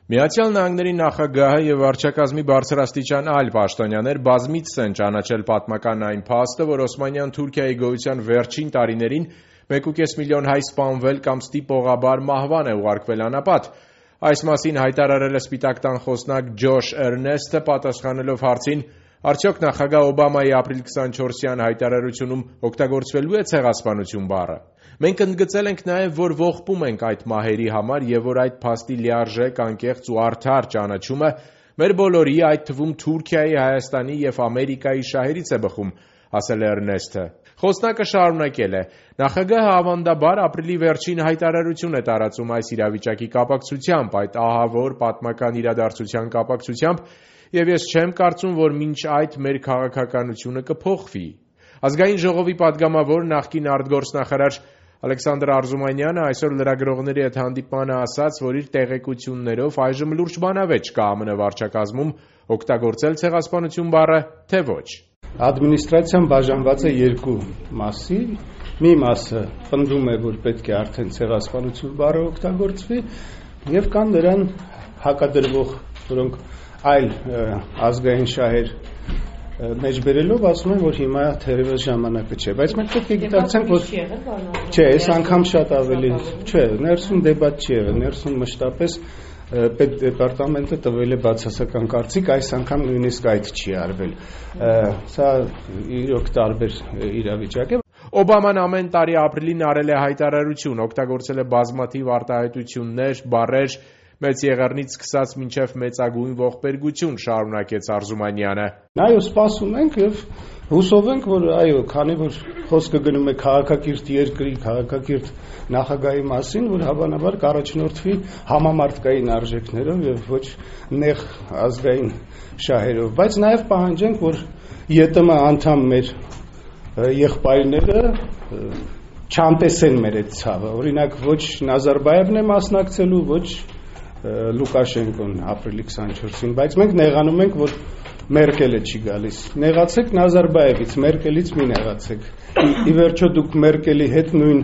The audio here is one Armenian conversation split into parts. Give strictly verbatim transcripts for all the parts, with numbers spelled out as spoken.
Միացյալ Նահանգների նախագահը եւ վարչակազմի բարձրաստիճան այլ պաշտոնյաներ բազմիցս են ճանաչել պատմական այն փաստը, որ Օսմանյան Թուրքիայի գոյության վերջին տարիներին մեկ ու կես միլիոն հայ սպանվել կամ ստիպողաբար մահվան է ուղարկվել անապատ։ Այս մասին հայտարարել է Սպիտակ տան խոսնակ Ջոշ Էրնեստը, պատասխանելով հարցին, արդյոք նախագահ Օբամայի ապրիլ քսանչորսյան հայտարարությունում օգտագործվելու է ցեղասպանություն բառը։ Մենք ընդգծել ենք նաև, որ ողբում ենք այդ մահերի համար եւ որ այդ փաստի լիարժեք, անկեղծ ու արդար ճանաչումը մեր բոլորի, այդ թվում Թուրքիայի, Հայաստանի եւ Ամերիկայի շահերից է բխում, ասել է Էրնեստը։ Խոսնակը շարունակել է. նախագահը ավանդաբար ապրիլի վերջին հայտարարություն է տարածում այս իրավիճակի կապակցությամբ, այդ ահավոր պատմական իրադարձության կապակցությամբ, եւ ես չեմ կարծում, որ մինչ այդ մեր քաղաքականությունը կփոխվի։ Ազգային ժողովի падգամավոր նախկին արտգործնախարար Ալեքսանդր Արզումանյանը այսօր լրագրողների հետ հանդիպմանը ասաց, որ իր տեղեկություններով այժմ լուրջ բանավեճ կա ԱՄՆ վարչակազմում օգտագործել ցեղասպանություն բառը, թե ոչ։ Ադմինիստրացիան բաժանված է երկու մասի, մի մասը պնդում է, որ պետք է արդեն ցեղասպանություն բառը օգտագործվի, եւ կան նրան հակադրվող, որոնք այլ ազգային շահեր մեջբերելով ասում են, որ հիմա թերևս ժամանակը չէ, բայց մենք պետք է գիտակցենք, որ չէ, այս անգամ շատ ավելի չէ, ներսում դեբատ չի եղել, ներսում մշտապես պետդեպարտամենտը տվել է բացասական կարծիք, այս անգամ նույնիսկ այդ չի արվել, սա իրոք տարբեր իրավիճակ է։ Օբաման ամեն տարի ապրիլին արել է հայտարարություն, օգտագործել է բազմաթիվ արտահայտություններ, բառեր, մեծ եղեռնից սկսած մինչև մեծագույն ողբերգություն, շարունակեց Արզումանյանը։ Այո, սպասում ենք եւ հուսով ենք, որ այո, քանի որ խոսքը գնում է քաղաքակիրթ երկրի, քաղաքակիրթ նախագահի մասին, որ հավանաբար կառաջնորդվի համամարտկային արժեքներով եւ ոչ նեղ ազգային շահերով, բայց նաեւ պահանջենք, որ ԵՏՄ անդամ մեր եղբայրները չանտեսեն մեր այդ ցավը, օրինակ ոչ Նազարբաևն է մասնակցելու, ոչ Լուկաշենկոն ապրիլի քսանչորսին, բայց մենք նեղանում ենք, որ Մերկելը չի գալիս։ Նեղացեք Նազարբաևից, Մերկելից մի նեղացեք։ Ի վերջո դուք Մերկելի հետ նույն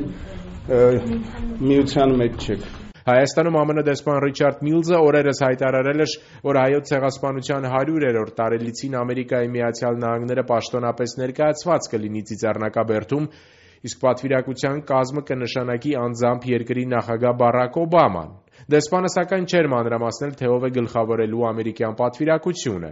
միության մեջ չեք։ Հայաստանում ԱՄՆ դեսպան Ռիչարդ Միլզը օրերս հայտարարել էր, որ հայոց ցեղասպանության հարյուրերորդ տարելիցին Ամերիկայի Միացյալ Նահանգները պաշտոնապես ներկայացված կլինի ծիծեռնակաբերդում, իսկ պատվիրակության կազմը կնշանակի անձամբ երկրի նախագահ Բարակ Օբաման։ Դեսպանը սակայն չէր մանրամասնել, թե ով է գլխավորելու ամերիկյան պատվիրակությունը։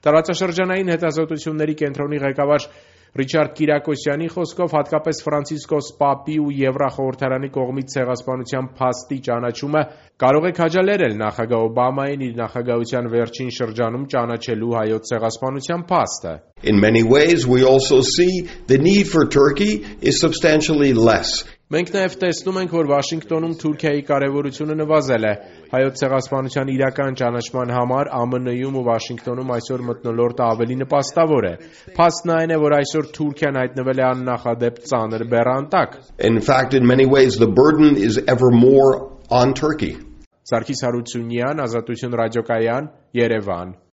Տարածաշրջանային հետազոտությունների կենտրոնի ղեկավար Ռիչարդ Կիրակոսյանի խոսքով հատկապես Ֆրանցիսկոս Պապի ու Եվրախորհրդարանի կողմից ցեղասպանության փաստի ճանաչումը կարող է քաջալերել նախագահ Օբամային իր նախագահության վերջին շրջանում ճանաչելու հայոց ցեղասպանության փաստը։ In many ways we also see the need for Turkey is substantially less. Մենք նաև տեսնում ենք, որ Վաշինգտոնում Թուրքիայի կարևորությունը նվազել է։ Հայոց ցեղասպանության իրական ճանաչման համար ԱՄՆ-ում ու Վաշինգտոնում այսօր մթնոլորտը ավելի նպաստավոր է։ Փաստն այն է, որ այսօր Թուրքիան հայտնվել է աննախադեպ ծանր բեռան տակ։ In fact, in many ways the burden is ever more on Turkey. Սարգիս Հարությունյան, Ազատություն ռադիոկայան, Երևան։